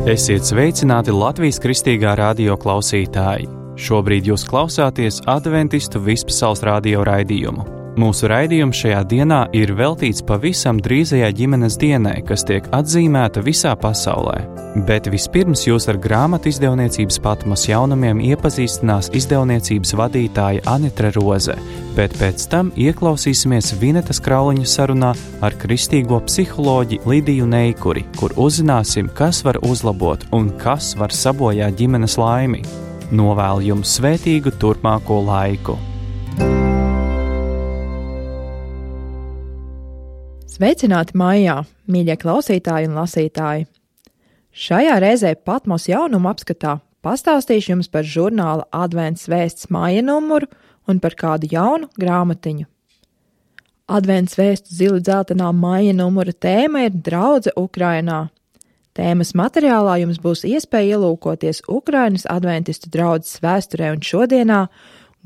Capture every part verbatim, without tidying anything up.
Esiet sveicināti Latvijas Kristīgā radio klausītāji! Šobrīd jūs klausāties Adventistu Vispasaules radio raidījumu. Mūsu raidījums šajā dienā ir veltīts pavisam drīzajai ģimenes dienai, kas tiek atzīmēta visā pasaulē. Bet vispirms jūs ar grāmatu izdevniecības Patmos jaunumiem iepazīstinās izdevniecības vadītāja Anitra Roze, bet pēc tam ieklausīsimies Vinetas Krauliņa sarunā ar kristīgo psiholoģi Lidiju Neikuri, kur uzzināsim, kas var uzlabot un kas var sabojāt ģimenes laimi. Novēlu jums svētīgu turpmāko laiku! Sveicināti mājā, mīļie klausītāji un lasītāji! Šajā reizē Patmos jaunumu apskatā pastāstīšu jums par žurnāla Advents vēsts māja numuru un par kādu jaunu grāmatiņu. Advents vēstu zili dzeltenā māja numura tēma ir Draudze Ukrainā. Tēmas materiālā jums būs iespēja ielūkoties Ukrainas adventistu draudzes vēsturē un šodienā,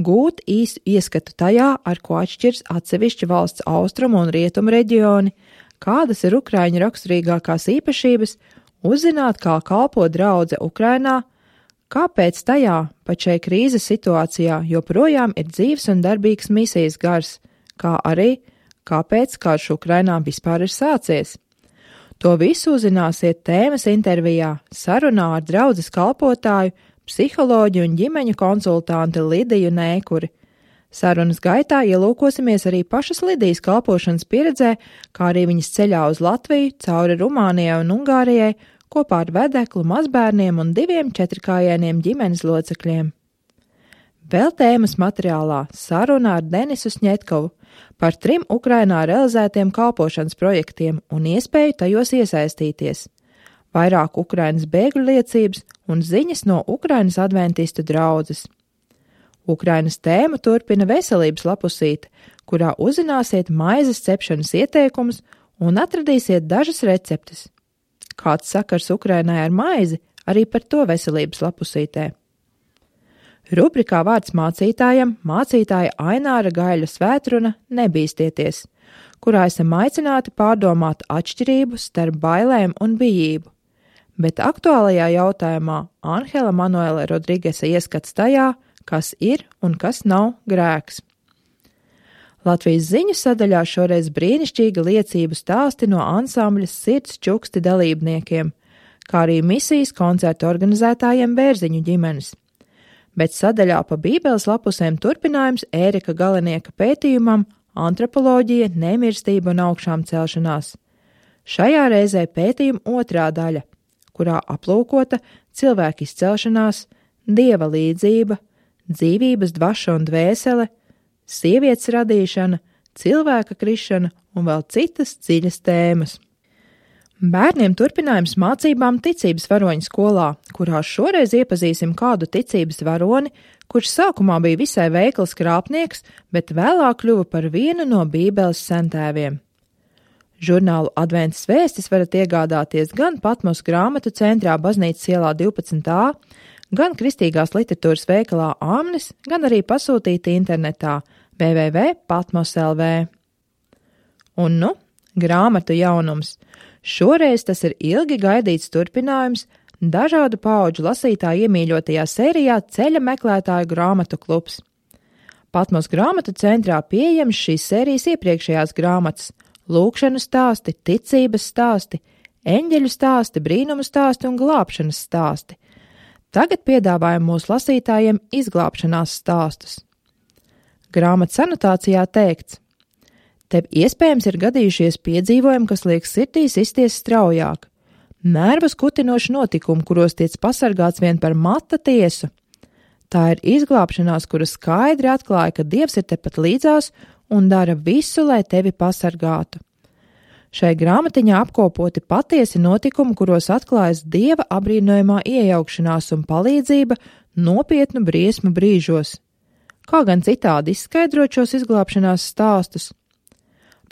gūt īstu ieskatu tajā, ar ko atšķirs atsevišķi valsts austrumu un rietumu reģioni, kādas ir Ukraiņu raksturīgākās īpašības, uzzināt, kā kalpo draudze Ukrainā, kāpēc tajā, pat šai krīzes situācijā, joprojām ir dzīves un darbīgs misijas gars, kā arī, kāpēc karš Ukrainā vispār ir sācies. To visu uzzināsiet tēmas intervijā, sarunā ar draudzes kalpotāju, psiholoģi un ģimeņu konsultanti Lidiju Neikuri. Sarunas gaitā ielūkosimies arī pašas Lidijas kalpošanas pieredzē, kā arī viņas ceļā uz Latviju, cauri Rumānijai un Ungārijai, kopā ar vedeklu, mazbērniem un diviem četrkājieniem ģimenes locekļiem. Vēl tēmas materiālā saruna ar Denisu Sņetkovu par trim Ukrainā realizētiem kalpošanas projektiem un iespēju tajos iesaistīties. Vairāk Ukrainas bēgļu liecības un ziņas no Ukrainas adventistu draudzes. Ukrainas tēmu turpina veselības lapusīte, kurā uzzināsiet maizes cepšanas ieteikumus un atradīsiet dažas receptes. Kāds sakars Ukrainai ar maizi, arī par to veselības lapusītē. Rubrikā Vārds mācītājam mācītāja Aināra Gaļa svētruna Nebīstieties, kurā esam aicināti pārdomāt atšķirību starp bailēm un bijību. Bet aktuālajā jautājumā Anhela Manuela Rodrigesa ieskats tajā, kas ir un kas nav grēks. Latvijas ziņu sadaļā šoreiz brīnišķīga liecību stāsti no ansambļa Sirds čuksti dalībniekiem, kā arī misijas koncertu organizētājiem Bērziņu ģimenes. Bet sadaļā pa bībeles lapusēm turpinājums Ērika Galenieka pētījumam Antropoloģija, nemirstība un augšām celšanās. Šajā reizē pētījuma otrā daļa, kurā aplūkota cilvēka izcelšanās, dieva līdzība, dzīvības dvaša un dvēsele, sievietes radīšana, cilvēka krišana un vēl citas dziļas tēmas. Bērniem turpinājums mācībām ticības varoņu skolā, kurā šoreiz iepazīsim kādu ticības varoni, kurš sākumā bija visai veikls krāpnieks, bet vēlāk kļuva par vienu no bībeles sentēviem. Žurnālu Adventas vēstis varat iegādāties gan Patmos grāmatu centrā Baznīcas ielā divpadsmit A, gan kristīgās literatūras veikalā Amnis, gan arī pasūtīt internetā w w w punkt patmos punkt l v. Un nu, grāmatu jaunums. Šoreiz tas ir ilgi gaidīts turpinājums dažādu paudžu lasītāju iemīļotajā sērijā Ceļa meklētāju grāmatu klubs. Patmos grāmatu centrā pieejams šīs sērijas iepriekšējās grāmatas – lūkšanu stāsti, ticības stāsti, eņģeļu stāsti, brīnumu stāsti un glābšanas stāsti. Tagad piedāvājam mūsu lasītājiem izglābšanās stāstus. Grāmatas anotācijā teikts: Tev iespējams ir gadījušies piedzīvojumi, kas liek sirdī sisties straujāk. Nervus kutinoši notikumi, kuros tiec pasargāts vien par mata tiesu. Tā ir izglābšanās, kura skaidri atklāja, ka Dievs ir tepat līdzās un dara visu, lai tevi pasargātu. Šai grāmatiņā apkopoti patiesi notikumi, kuros atklājas Dieva abrīnojamā iejaukšanās un palīdzība nopietnu briesmu brīžos. Kā gan citādi izskaidrot šos izglābšanās stāstus?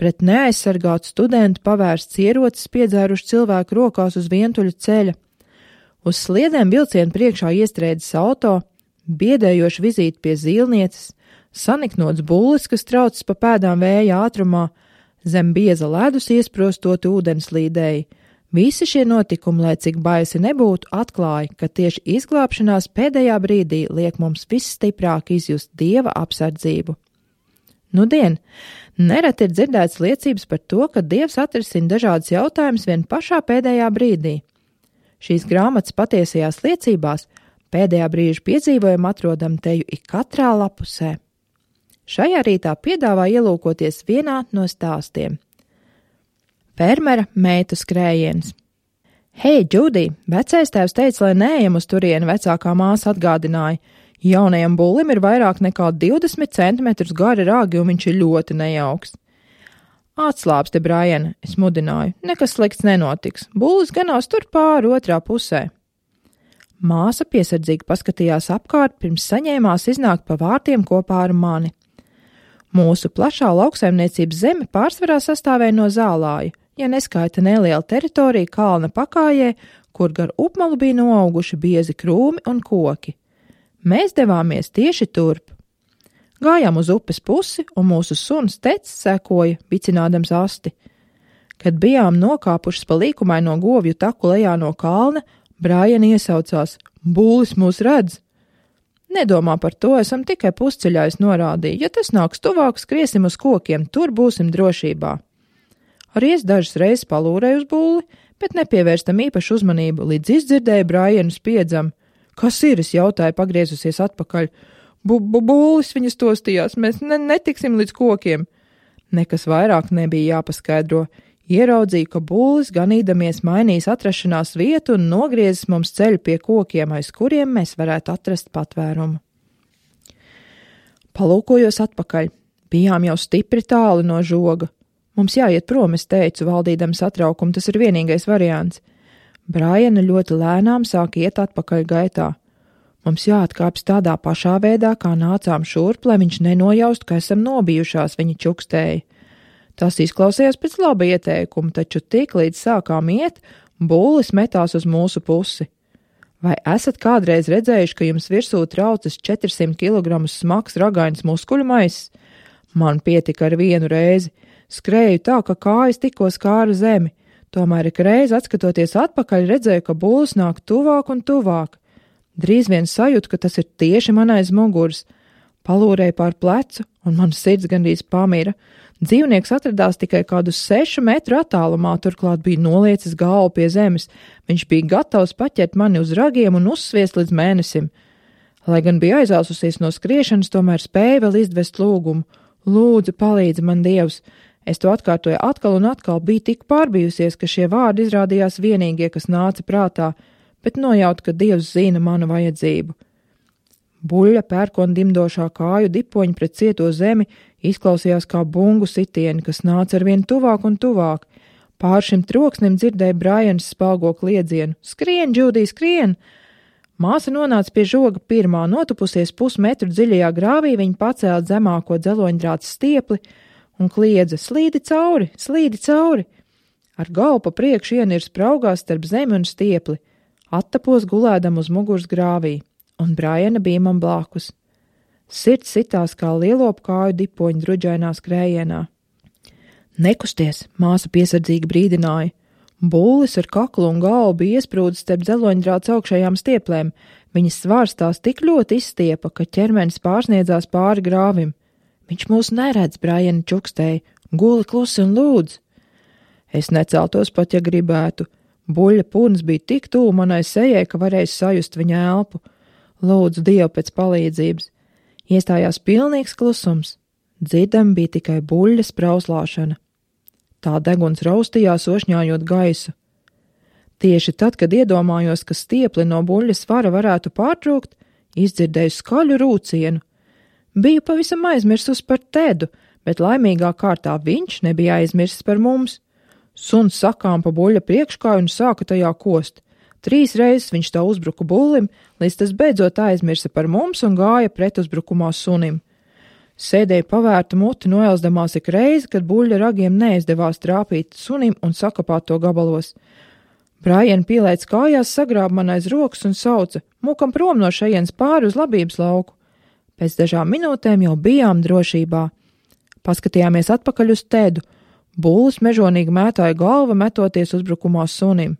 Pret neaizsargātu studentu pavērsts ierocis piedzēruši cilvēku rokās uz vientuļa ceļa. Uz sliedēm vilcienu priekšā iestrēdzis auto, biedējoši vizīti pie zīlnieces, saniknots bullis, kas traucas pa pēdām vēja ātrumā, zem bieza ledus iesprostot ūdenslīdēji, Visi šie notikumi, lai cik baisi nebūtu, atklāja, ka tieši izglābšanās pēdējā brīdī liek mums visstiprāk izjust Dieva apsardzību. Nudien, nereti ir dzirdēts liecības par to, ka Dievs atrisina dažādas jautājumas vien pašā pēdējā brīdī. Šīs grāmatas patiesajās liecībās pēdējā brīža piedzīvojumu atrodam teju ik katrā lapusē. Šajā rītā piedāvā ielūkoties vienā no stāstiem. Fermera meitu skrējiens. Hei, Džudī, vecais tēvs teica, lai neejam uz turieni, vecākā māsa atgādināja. Jaunajam bullim ir vairāk nekā divdesmit centimetrus gari ragi, un viņš ir ļoti nejauks. Atslābsti, Brian, es mudināju, nekas slikts nenotiks, bullis ganās tur pāri otrā pusē. Māsa piesardzīgi paskatījās apkārt, pirms saņēmās iznākt pa vārtiem kopā ar mani. Mūsu plašā lauksaimniecības zeme pārsvarā sastāvēja no zālāju, ja neskaita neliela teritorija kalna pakājē, kur gar upmalu bija noauguši biezi krūmi un koki. Mēs devāmies tieši turp. Gājām uz upes pusi, un mūsu suns Tecis sekoja, vicinādams asti. Kad bijām nokāpušas pa līkumaino govju taku lejā no kalna, Brian iesaucās: Bullis mūs redz! Nedomā par to, esam tikai pusceļā, es norādīju. Ja tas nāks tuvāk, skriesim uz kokiem, tur būsim drošībā. Arī es dažas reizes palūrēju uz bulli, bet nepievērstam īpašu uzmanību, līdz izdzirdēju Brianu spiedzam. Kas ir, es jautāju, pagriezusies atpakaļ. Bu-bu-bullis viņas tostījās, mēs ne netiksim līdz kokiem. Nekas vairāk nebija jāpaskaidro. Ieraudzīju, ka bullis ganīdamies mainīs atrašanās vietu un nogriezis mums ceļu pie kokiem, aiz kuriem mēs varētu atrast patvērumu. Palūkojos atpakaļ. Bijām jau stipri tālu no žoga. Mums jāiet prom, es teicu, valdīdam satraukumu, tas ir vienīgais variants. Briana ļoti lēnām sāk iet atpakaļ gaitā. Mums jāatkāpjas tādā pašā veidā, kā nācām šurp, lai viņš nenojaust, ka esam nobijušās, viņa čukstēja. Tas izklausījās pēc laba ieteikuma, taču tik līdz sākām iet, bullis metās uz mūsu pusi. Vai esat kādreiz redzējuši, ka jums virsū traucas četrsimt kilogramus smags ragains muskuļu maiss? Man pietika ar vienu reizi. Skrēju tā, ka kājas tikko skāra zemi. Tomēr ik reiz atskatoties atpakaļ redzēju, ka bullis nāk tuvāk un tuvāk. Drīz vien sajūtu, ka tas ir tieši man aiz muguras. Palūrēju pār plecu, un man sirds gandrīz pamira. Dzīvnieks atradās tikai kādus sešu metru attālumā, turklāt bija noliecis galvu pie zemes. Viņš bija gatavs paķert mani uz ragiem un uzsviest līdz mēnesim. Lai gan bija aizāsusies no skriešanas, tomēr spēja vēl izdvest lūgumu. Lūdzu, palīdzi man, Dievs! Es to atkārtoju atkal un atkal, biju tik pārbijusies, ka šie vārdi izrādījās vienīgie, kas nāca prātā, bet nojautu, ka Dievs zina manu vajadzību. Buļļa pērkona dimdošā kāju dipoņa pret cieto zemi izklausījās kā bungu sitieni, kas nāca arvien tuvāk un tuvāk. Pār šim troksnim dzirdēja Brians spalgo kliedzienu. Skrien, Džudī, skrien! Māsa nonāca pie žoga pirmā, notupusies pusmetru dziļajā grāvī, viņa pacēla zemāko dzeloņdrāta stiepli un kliedza: slīdi cauri, slīdi cauri! Ar galvu pa priekšu ienirs spraugās starp zemi un stiepli. Attapos gulēdam uz muguras grāvī, un Briana bija man blakus. Sirds sitās kā lielopu kāju dipoņu druģainā skrējienā. Nekusties, māsa piesardzīgi brīdināja. Bullis ar kaklu un galvu bija iesprūdis starp dzeloņdrāts augšējām stieplēm. Viņas svārstās tik ļoti izstiepa, ka ķermenis pārsniedzās pāri grāvim. Viņš mūs neredz, Briana čukstēja. Guli klusi un lūdz. Es neceltos pat, ja gribētu. Buļļa purns bija tik tuvu manai sejai, ka varēju sajust viņa elpu. Lūdzu Dievu pēc palīdzības. Iestājās pilnīgs klusums. Dzirdam bija tikai buļļas prauslāšana. Tā deguns raustījās, ošņājot gaisu. Tieši tad, kad iedomājos, ka stiepli no buļļas svara varētu pārtrūkt, izdzirdēju skaļu rūcienu. Biju pavisam aizmirsus par Tedu, bet laimīgā kārtā viņš nebija aizmirsis par mums. Suns sakām pa buļļa priekškāju un sāka tajā kost. Trīs reizes viņš tā uzbruka bullim, līdz tas beidzot aizmirsa par mums un gāja pretuzbrukumā sunim. Sēdēja pavērta muti, noelsdamās ik reizi, kad buļļa ragiem neizdevās trāpīt sunim un sakapāt to gabalos. Brian pielēc kājās, sagrāba man aiz rokas un sauca: Mūkam prom no šejienes pāri uz labības lauku. Pēc dažām minūtēm jau bijām drošībā. Paskatījāmies atpakaļ uz Tedu. Bullis mežonīgi mētāja galva, metoties uzbrukumā sunim.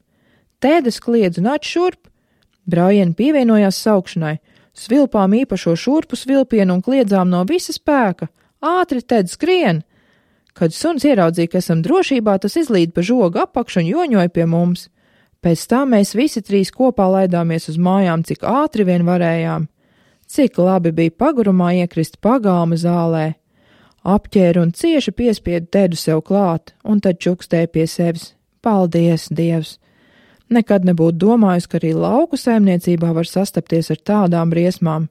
Tēdes kliedz un atšurp. Brājieni pievienojās saukšanai. Svilpām īpašo šurpu svilpienu un kliedzām no visa spēka. Ātri, Ted, skrien! Kad suns ieraudzīja, ka esam drošībā, tas izlīd pa žogu apakšu un joņoja pie mums. Pēc tam mēs visi trīs kopā laidāmies uz mājām, cik ātri vien varējām. Cik labi bija pagurumā iekrist pagalma zālē. Apķēru un cieši piespiedu Tedu sev klāt, un tad čukstēja pie sevis. Paldies, Dievs! Nekad nebūtu domājusi, ka arī lauku saimniecībā var sastapties ar tādām briesmām.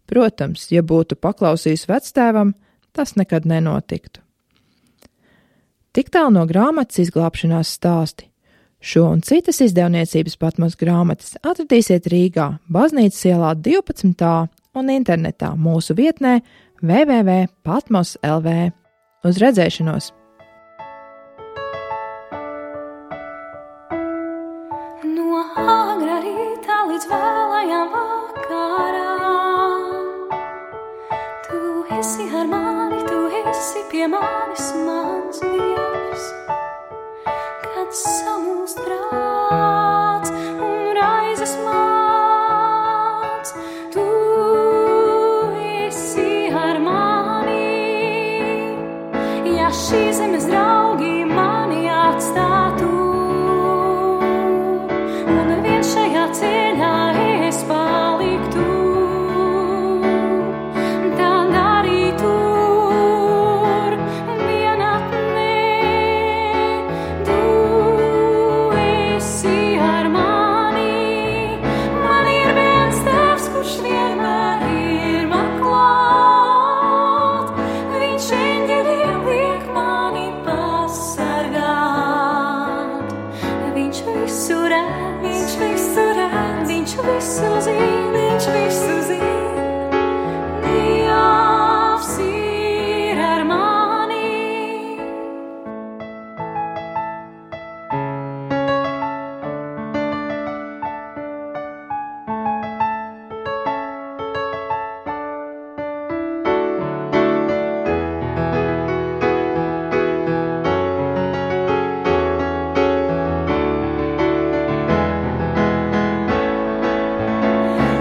Protams, ja būtu paklausījis vectēvam, tas nekad nenotiktu. Tik tālu no grāmatas Izglābšanās stāsti. Šo un citas izdevniecības Patmos grāmatas atradīsiet Rīgā, Baznīcas ielā divpadsmit A un internetā mūsu vietnē w w w punkt patmos punkt l v. Uz redzēšanos! No agrā rīta līdz vēlajām vakarām Tu esi ar mani, tu esi pie manis, mans Dievs. Kad samulst prāts un raizes mans, Tu esi ar mani. Ja šī zemes draugi mani atstātu, un vien šajā ceļā es paliktu, tad arī tur vienatnē Tu esi ar mani. Man ir viens Tēvs, kurš vienmēr ir man klāt. Viņš eņģeļiem liek mani pasargāt. Viņš visu redz, viņš visu redz, viņš visu zina, viņš visu zina. Dievs ir ar mani.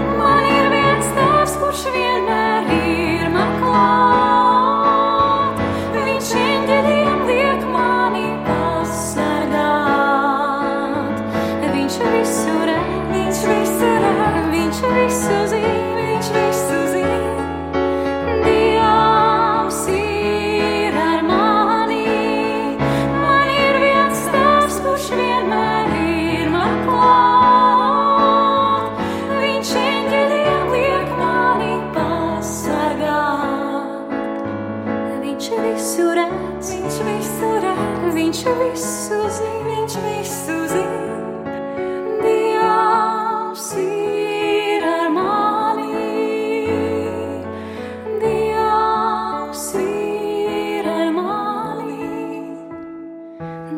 Man ir viens Tēvs, kurš vienmēr ir man klāt. Viņš eņģeļiem liek mani pasargāt. Viņš visu redz, viņš visu redz, viņš visu zina, viņš visu zina. Dievs ir ar mani. Man ir viens Tēvs, kurš vienmēr ir man klāt. Viņš eņģeļiem liek mani pasargāt. Viņš visu redz, viņš visu redz, viņš visu zina, viņš visu zina. Dievs ir ar mani. Dievs ir ar mani.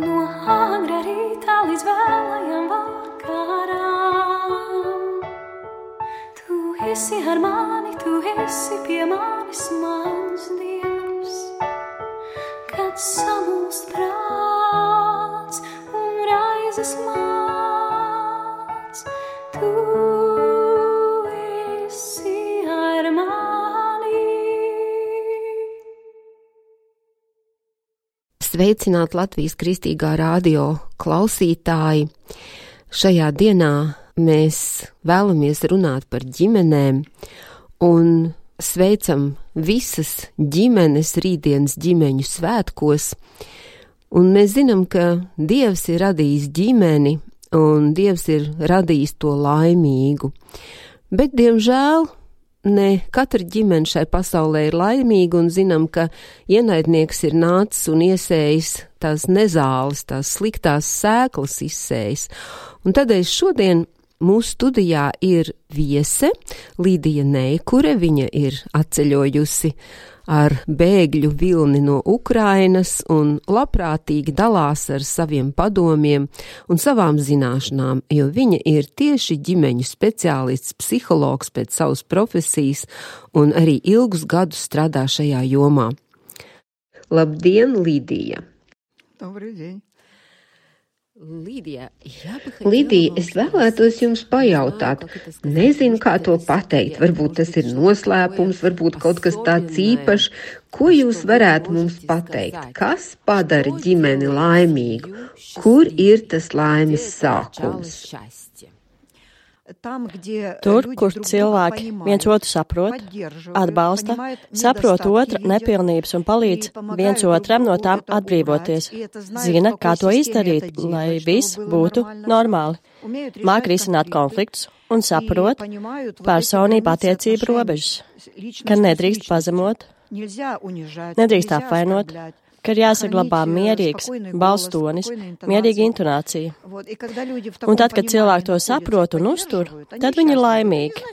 No agrā rīta līdz vēlajām vakarām Tu esi ar mani, tu esi pie manis, mans Dievs. Kad samulst prāts un raizes mans, Tu esi ar mani. Sveicināt Latvijas Kristīgā radio klausītāji. Šajā dienā mēs vēlamies runāt par ģimenēm un sveicam visas ģimenes rītdienas ģimeņu svētkos. Un mēs zinām, ka Dievs ir radījis ģimeni un Dievs ir radījis to laimīgu. Bet, diemžēl, ne katra ģimene šai pasaulē ir laimīga, un zinām, ka ienaidnieks ir nācis un iesējis tās nezāles, tās sliktās sēklas izsējis. Un tādēļ šodien mūsu studijā ir viese Līdija Neikure. Viņa ir atceļojusi ar bēgļu vilni no Ukrainas un labprātīgi dalās ar saviem padomiem un savām zināšanām, jo viņa ir tieši ģimeņu speciālists, psihologs pēc savas profesijas un arī ilgus gadus strādā šajā jomā. Labdien, Līdija! Lidija, es vēlētos jums pajautāt. Nezinu, kā to pateikt. Varbūt tas ir noslēpums, varbūt kaut kas tāds īpašs. Ko jūs varētu mums pateikt? Kas padara ģimeni laimīgu? Kur ir tas laimes sākums? Tur, kur cilvēki viens otru saprot, atbalsta, saprot otra nepilnības un palīdz viens otram no tām atbrīvoties, zina, kā to izdarīt, lai viss būtu normāli, māk risināt konfliktus un saprot personību attiecību robežas, ka nedrīkst pazemot, nedrīkst apvainot, ka ir jāsaglabā mierīgs balss tonis, mierīga intonācija. Un tad, kad cilvēki to saprot un uztur, tad viņi ir laimīgi.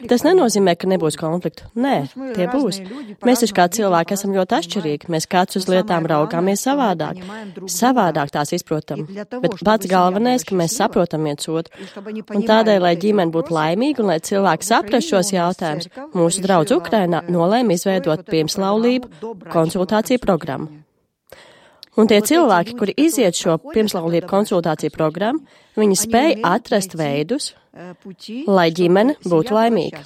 Tas nenozīmē, ka nebūs konfliktu. Nē, tie būs. Mēs taču kā cilvēki esam ļoti atšķirīgi. Mēs kāds uz lietām raugāmies savādāk. Savādāk tās izprotam. Bet pats galvenais, ka mēs saprotam viens otru. Un tādēļ, lai ģimene būtu laimīga un lai cilvēki saprast šos jautājumus, mūsu draudz Ukrainā nolēma izveidot pirmslaulību konsultāciju programmu. Un tie cilvēki, kuri iziet šo pirmslaulību konsultāciju programmu, viņi spēj atrast veidus, lai ģimene būtu laimīga.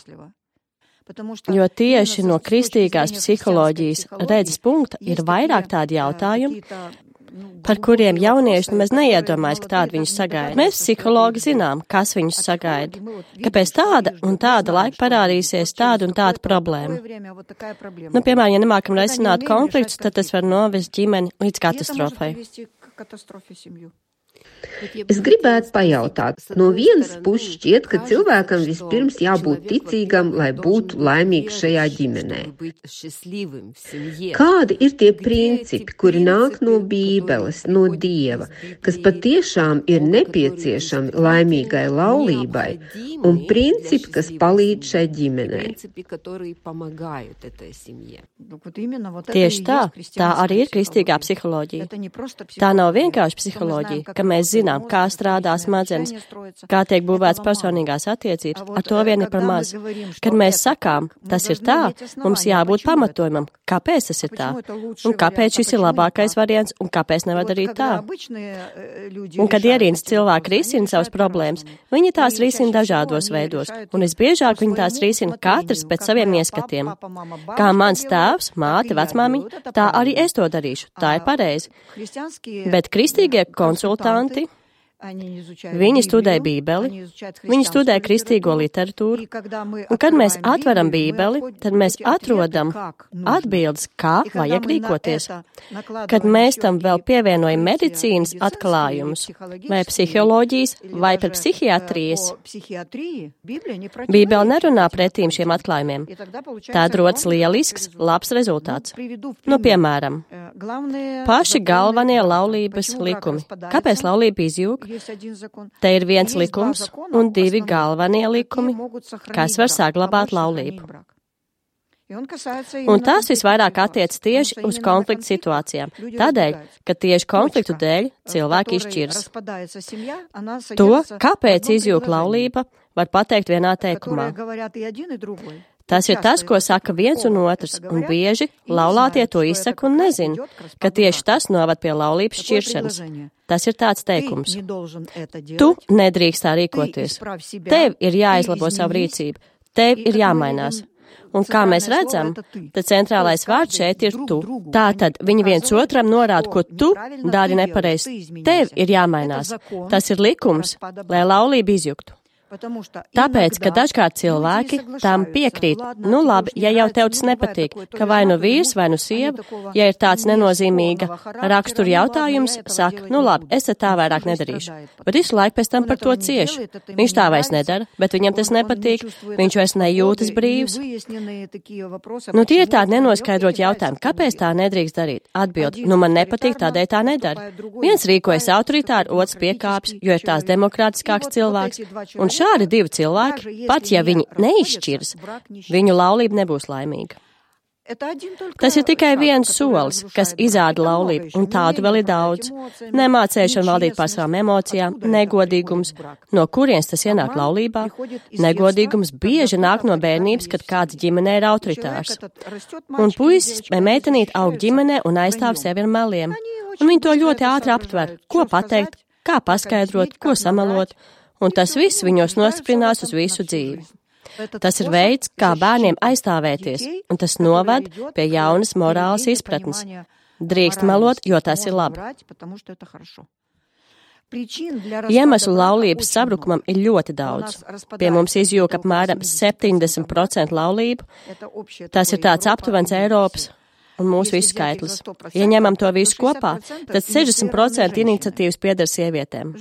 Jo tieši no kristīgās psiholoģijas redzes punkta ir vairāk tādi jautājumi, par kuriem jaunieši nemaz neiedomājas, ka tādu viņus sagaida. Mēs psihologi zinām, kas viņus sagaida, kāpēc tāda un tāda laika parādīsies tāda un tāda problēma. Nu, piemēram, ja nemākam risināt konfliktus, tad tas var novest ģimeni līdz katastrofai. Es gribētu pajautāt, no vienas puses šķiet, ka cilvēkam vispirms jābūt ticīgam, lai būtu laimīgs šajā ģimenē. Kādi ir tie principi, kuri nāk no Bībeles, no Dieva, kas patiešām ir nepieciešami laimīgai laulībai, un principi, kas palīdz šai ģimenei? Tieši tā, tā arī ir kristīgā psiholoģija. Tā nav vienkārši psiholoģija, ka mēs zinām, kā strādā smadzenes, kā tiek būvēts personīgās attiecības, ar to vien ir par maz. Kad mēs sakām, tas ir tā, mums jābūt pamatojumam, kāpēc tas ir tā, un kāpēc šis ir labākais variants, un kāpēc nevar darīt tā. Un kad ierīnas cilvēki risina savas problēmas, viņi tās risina dažādos veidos, un visbiežāk viņi tās risina katrs pēc saviem ieskatiem. Kā mans tēvs, māte, vecmāmiņa, tā arī es to darīšu, tā ir pareizi. Bet kristīgie konsultanti, viņi studē Bībeli, viņi studē kristīgo literatūru, un kad mēs atveram Bībeli, tad mēs atrodam atbildes, kā vajag rīkoties. Kad mēs tam vēl pievienojam medicīnas atklājumus, vai psiholoģijas, vai par psihiatrijas, Bībele nerunā pretīm šiem atklājumiem. Tad rodas lielisks, labs rezultāts. Nu, piemēram, paši galvenie laulības likumi. Kāpēc laulība izjūg? Te ir viens likums un divi galvenie likumi, kas var saglabāt laulību. Un tas visvairāk attiec tieši uz konfliktu situācijām, tādēļ, ka tieši konfliktu dēļ cilvēki izšķiras. To, kāpēc izjūg laulība, var pateikt vienā teikumā. Tas ir tas, ko saka viens un otrs, un bieži laulātie to izsaka un nezina, ka tieši tas novad pie laulības šķiršanas. Tas ir tāds teikums. Tu nedrīkst tā rīkoties. Tev ir jāizlabo savu rīcību. Tev ir jāmainās. Un kā mēs redzam, tad centrālais vārds šeit ir tu. Tātad viņi viens otram norāda, ko tu dari nepareizi. Tev ir jāmainās. Tas ir likums, lai laulība izjuktu. Tāpēc, ka dažkārt cilvēki tam piekrīt, nu labi, ja jau tev tas nepatīk, ka vai nu vīrs, vai nu sieva, ja ir tāds nenozīmīga rakstura jautājums, saka, nu labi, es tā vairāk nedarīšu. Bet visu laiku pēc tam par to cieši. Viņš tā vairs nedara, bet viņam tas nepatīk, viņš vairs nejūtas brīvs. Nu tie ir tādi nenoskaidrot jautājumi, kāpēc tā nedrīkst darīt? Atbild, nu man nepatīk, tādēļ tā nedara. Viens rīkojas autoritāri, otrs piekāpjas, jo ir tās demokrātiskāks cilvēks, un šādi divi cilvēki, pat ja viņi neizšķiras, viņu laulība nebūs laimīga. Tas ir tikai viens solis, kas izāda laulību, un tādu vēl ir daudz. Nemācēšana valdīt pār savām emocijām, negodīgums, no kurienes tas ienāk laulībā. Negodīgums bieži nāk no bērnības, kad kāds ģimenē ir autoritārs. Un puisis vai meitenīt aug ģimenē un aizstāv sevi ar meliem. Un viņi to ļoti ātri aptver, ko pateikt, kā paskaidrot, ko samelot, un tas viss viņos nostiprinās uz visu dzīvi. Tas ir veids, kā bērniem aizstāvēties, un tas noved pie jaunas morālas izpratnes. Drīkst melot, jo tas ir labi. Iemeslu laulības sabrukumam ir ļoti daudz. Pie mums izjūka apmēram septiņdesmit procenti laulību. Tas ir tāds aptuvens Eiropas un mūsu visu skaitlis. Ja ņemam to visu kopā, tad sešdesmit procenti iniciatīvas pieder sievietēm.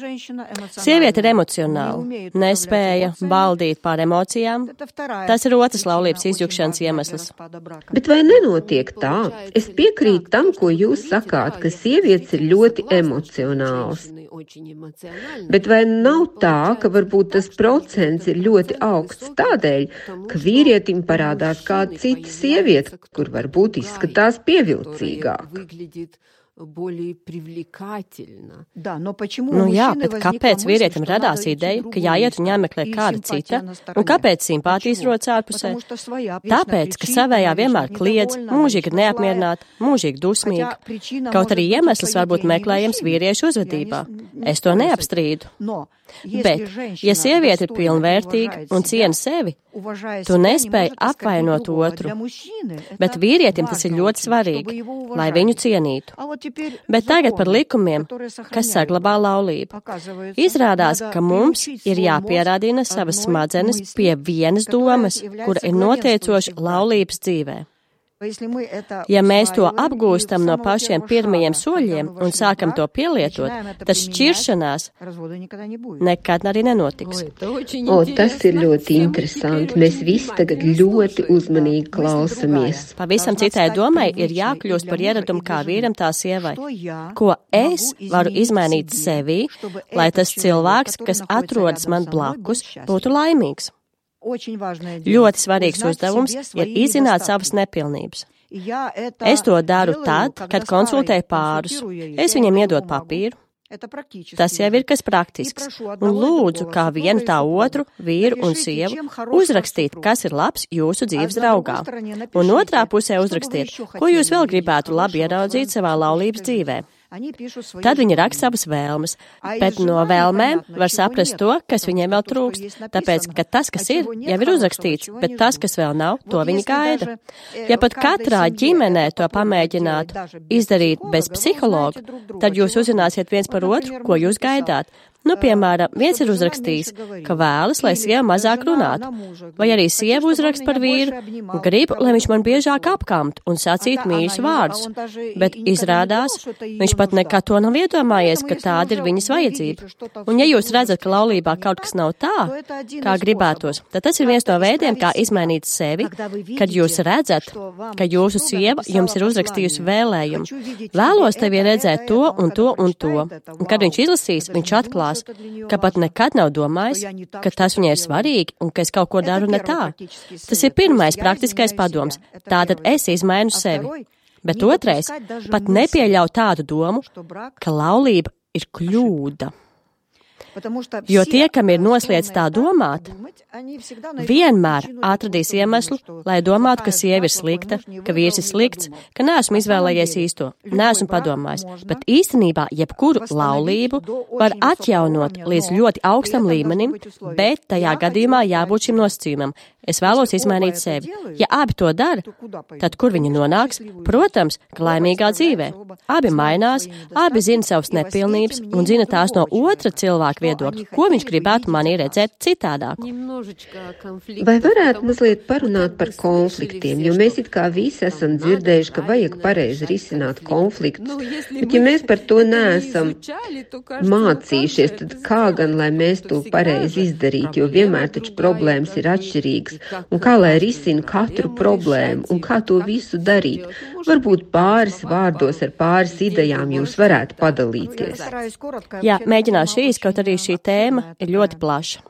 Sieviete ir emocionāla, nespēja valdīt pār emocijām. Tas ir otrs laulības izjukšanas iemesls. Bet vai nenotiek tā? Es piekrītu tam, ko jūs sakāt, ka sievietes ir ļoti emocionāls. Bet vai nav tā, ka varbūt tas procents ir ļoti augsts tādēļ, ka vīrietim parādās kāda cita sieviete, kur varbūt izskatās pievilcīgāk? Nu jā, bet kāpēc vīrietim radās ideja, ka jāiet un jāmeklē kāda cita, un kāpēc simpātijas rodas ārpusē? Tāpēc, ka savējā vienmēr kliedz, mūžīgi ir neapmierināta, mūžīgi dusmīga. Kaut arī iemesls var būt meklējams vīriešu uzvedībā. Es to neapstrīdu. Bet, ja sieviete ir pilnvērtīga un ciena sevi, tu nespēji apvainot otru. Bet vīrietim tas ir ļoti svarīgi, lai viņu cienītu. Bet tagad par likumiem, kas saglabā laulību. Izrādās, ka mums ir jāpierādina savas smadzenes pie vienas domas, kura ir noteicoša laulības dzīvē. Ja mēs to apgūstam no pašiem pirmajiem soļiem un sākam to pielietot, tad šķiršanās nekad arī nenotiks. O, tas ir ļoti interesanti. Mēs visi tagad ļoti uzmanīgi klausamies. Pavisam citai domai ir jākļūst par ieradumu kā vīram tā sievai. Ko es varu izmainīt sevī, lai tas cilvēks, kas atrodas man blakus, būtu laimīgs? Ļoti svarīgs uzdevums ir izzināt savas nepilnības. Es to daru tad, kad konsultēju pārus. Es viņiem iedodu papīru. Tas jau ir kas praktisks. Un lūdzu, kā vienu tā otru, vīru un sievu, uzrakstīt, kas ir labs jūsu dzīves draugā. Un otrā pusē uzrakstiet, ko jūs vēl gribētu labi ieraudzīt savā laulības dzīvē. Tad viņi raksta savas vēlmes, bet no vēlmēm var saprast to, kas viņiem vēl trūkst, tāpēc, ka tas, kas ir, jau ir uzrakstīts, bet tas, kas vēl nav, to viņi gaida. Ja pat katrā ģimenē to pamēģinātu izdarīt bez psihologa, tad jūs uzzināsiet viens par otru, ko jūs gaidāt. Nu, piemēram, viens ir uzrakstījis, ka vēlas, lai sieva mazāk runātu, vai arī sieva uzrakst par vīru, grib, lai viņš man biežāk apkamt un sacīt mīļus vārdus, bet izrādās, viņš pat nekad to nav iedomājies, ka tāda ir viņas vajadzība. Un ja jūs redzat, ka laulībā kaut kas nav tā, kā gribētos, tad tas ir viens no veidiem, kā izmainīt sevi, kad jūs redzat, ka jūsu sieva jums ir uzrakstījusi vēlējumu. Vēlos tevi redzēt to un to un to, un kad viņš izlasīs, viņš atklās, ka pat nekad nav domājis, ka tas viņai ir svarīgi un ka es kaut ko daru ne tā. Tas ir pirmais praktiskais padoms. Tātad es izmainu sevi. Bet otrais, pat nepieļauj tādu domu, ka laulība ir kļūda. Jo tie, kam ir noslēdz tā domāt, vienmēr atradīs iemeslu, lai domātu, ka sieva ir slikta, ka vīrs ir slikts, ka neesmu izvēlējies īsto, neesmu padomājis, bet īstenībā jebkuru laulību var atjaunot līdz ļoti augstam līmenim, bet tajā gadījumā jābūt šim nosacījumam. Es vēlos izmainīt sevi. Ja abi to dara, tad kur viņi nonāks? Protams, ka laimīgā dzīvē. Abi mainās, abi zina savas nepilnības un zina tās no otra cilvēka viedokļa, ko viņš gribētu manī redzēt citādāk. Vai varētu mazliet parunāt par konfliktiem, jo mēs it kā visi esam dzirdējuši, ka vajag pareizi risināt konfliktus, bet ja mēs par to neesam mācījušies, tad kā gan, lai mēs to pareizi izdarītu, jo vienmēr taču problēmas ir atšķirīgas. Un kā lai risina katru problēmu un kā to visu darīt? Varbūt pāris vārdos ar pāris idejām jūs varētu padalīties. Jā, mēģināšu īsti, kaut arī šī tēma ir ļoti plaša.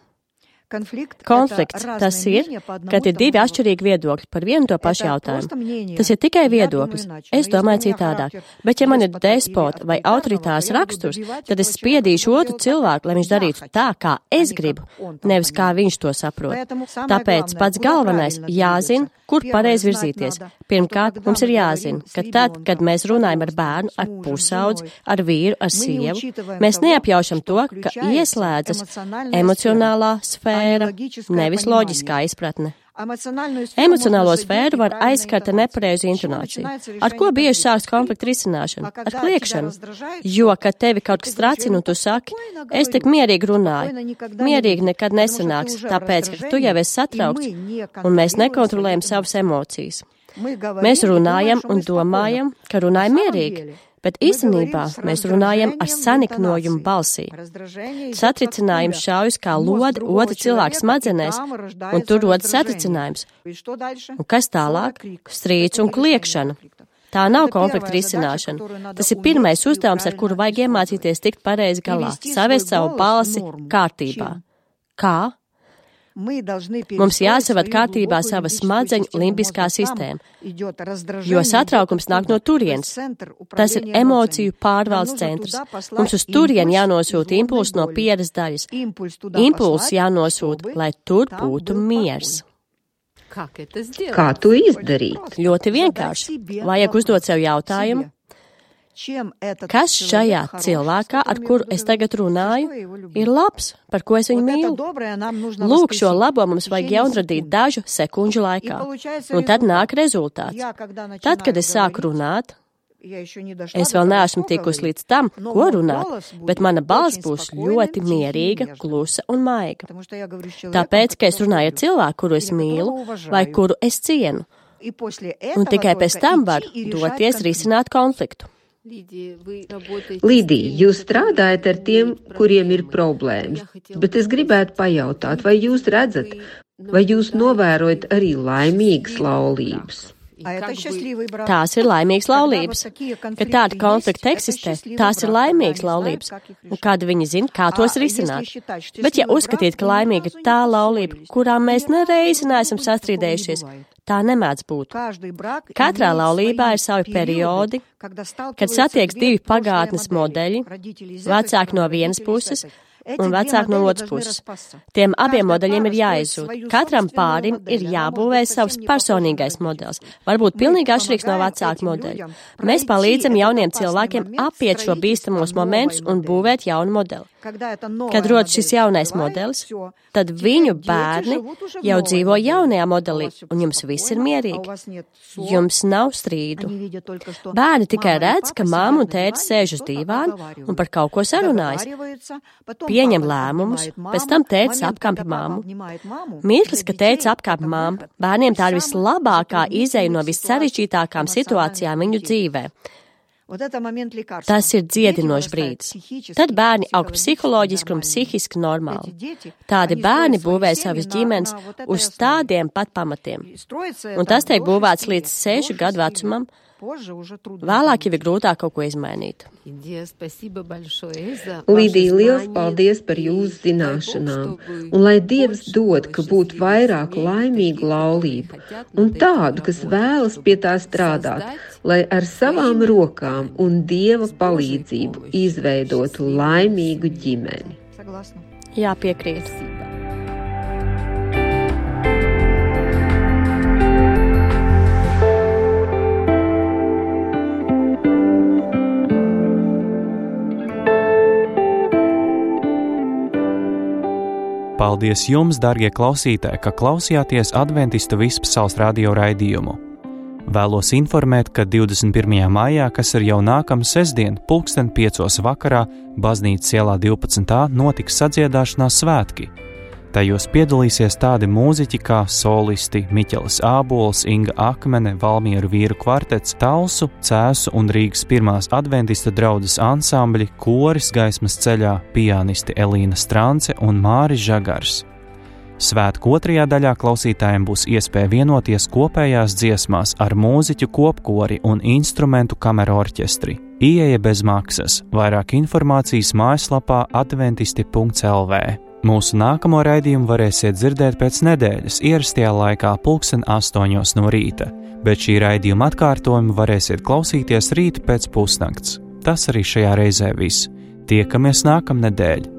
Konflikts tas ir, kad ir divi atšķirīgi viedokļi par vienu to pašu jautājumu. Tas ir tikai viedoklis. Es domāju citādāk. Bet ja man ir despota vai autoritārs raksturs, tad es spiedīšu otru cilvēku, lai viņš darītu tā, kā es gribu, nevis kā viņš to saprot. Tāpēc pats galvenais jāzina, kur pareizi virzīties. Pirmkārt, mums ir jāzina, ka tad, kad mēs runājam ar bērnu, ar pusaudzi, ar vīru, ar sievu, mēs neapjaušam to, ka ieslēdzas emocionālā sfēra, nevis loģiskā izpratne. Emocionālo sfēru var aizskart ar nepareizu intonāciju. Ar ko bieži sāks konflikta risināšana? Ar kliekšanu. Jo, kad tevi kaut kas tracina un tu saki, es tik mierīgi runāju, mierīgi nekad nesanāks, tāpēc, ka tu jau esi satraukts un mēs nekontrolējam savas emocijas. Mēs runājam un domājam, ka runājam mierīgi. Bet īstenībā mēs runājam ar saniknojumu balsī. Satricinājums šaujas kā lode otra cilvēka smadzenēs, un tur rodas satricinājums. Un kas tālāk? Strīds un kliekšana. Tā nav konflikta risināšana. Tas ir pirmais uzdevums, ar kuru vajag iemācīties tikt pareizi galā, savest savu balsi kārtībā. Kā? Mums jāsavad kārtībā sava smadzeņu limbiskā sistēma, jo satraukums nāk no turienes. Tas ir emociju pārvaldes centrs. Mums uz turieni jānosūta impulss no pieres daļas. Impulss jānosūta, lai tur būtu miers. Kā to izdarīt? Ļoti vienkārši. Vajag uzdot sev jautājumu. Kas šajā cilvēkā, ar kuru es tagad runāju, ir labs, par ko es viņu mīlu? Lūk, šo labo mums vajag jaunradīt dažu sekundžu laikā, un tad nāk rezultāts. Tad, kad es sāku runāt, es vēl neesmu tikusi līdz tam, ko runāt, bet mana balss būs ļoti mierīga, klusa un maiga. Tāpēc, ka es runāju ar cilvēku, kuru es mīlu vai kuru es cienu, un tikai pēc tam var doties risināt konfliktu. Lidija, jūs strādājat ar tiem, kuriem ir problēmas, bet es gribētu pajautāt, vai jūs redzat, vai jūs novērojat arī laimīgas laulības? Tās ir laimīgas laulības. Kad tāda konflikta eksistē, tās ir laimīgas laulības. Un kāda viņi zina, kā tos risināt. Bet ja uzskatīt, ka laimīga ir tā laulība, kurām mēs nereizi neesam sastrīdējušies, tā nemēdz būt. Katrā laulībā ir savi periodi, kad satieks divi pagātnes modeļi, vecāki no vienas puses un vecāki no otras puses. Tiem abiem modeļiem ir jāizzūd. Katram pārim ir jābūvē savs personīgais modelis, varbūt pilnīgi atšķirīgs no vecāku modeļa. Mēs palīdzam jauniem cilvēkiem apiet šo bīstamos momentus un būvēt jaunu modeli. Kad rodas šis jaunais modelis, tad viņu bērni jau dzīvo jaunajā modelī, un jums viss ir mierīgi. Jums nav strīdu. Bērni tikai redz, ka māma un tētis sēž uz dīvāna un par kaut ko sarunājas. Pieņem lēmumus, pēc tam tētis apkampi māmu. Mirklis, ka tētis apkampi māmu, bērniem tā ir vislabākā izeja no vissarežģītākām situācijām viņu dzīvē. Tas ir dziedinošs brīdis. Tad bērni aug psiholoģiski un psihiski normāli. Tādi bērni būvē savas ģimenes uz tādiem pat pamatiem. Un tas tiek būvēts līdz sešu gadu vecumam. Vēlāk jau ir grūtāk kaut ko izmainīt. Lidija, liels paldies par jūsu zināšanām, un lai Dievs dod, ka būtu vairāk laimīgu laulību, un tādu, kas vēlas pie tā strādāt, lai ar savām rokām un Dieva palīdzību izveidotu laimīgu ģimeni. Jā, piekrīt. Paldies jums, darbie klausītāji, ka klausījāties Adventistu Vispasaules radio raidījumu. Vēlos informēt, ka divdesmit pirmajā maijā, kas ir jau nākamā sestdien, pulksten piecos vakarā, Baznīcas ielā divpadsmit A notiks sadziedāšanās svētki. Tajos piedalīsies tādi mūziķi kā solisti Miķelis Ābols, Inga Akmene, Valmieru vīru kvartets, Talsu, Cēsu un Rīgas pirmās adventistu draudzes ansambļi, koris Gaismas ceļā, pianisti Elīna Strance un Māris Žagars. Svētku otrajā daļā klausītājiem būs iespēja vienoties kopējās dziesmās ar mūziķu kopkori un instrumentu kameru orķestri. Ieeja bez maksas, vairāk informācijas mājaslapā adventisti punkts el vē. Mūsu nākamo raidījumu varēsiet dzirdēt pēc nedēļas ierastajā laikā pulksten astoņos no rīta, bet šī raidījuma atkārtojumu varēsiet klausīties rīta pēc pusnakts. Tas arī šajā reizē viss. Tiekamies nākamnedēļ!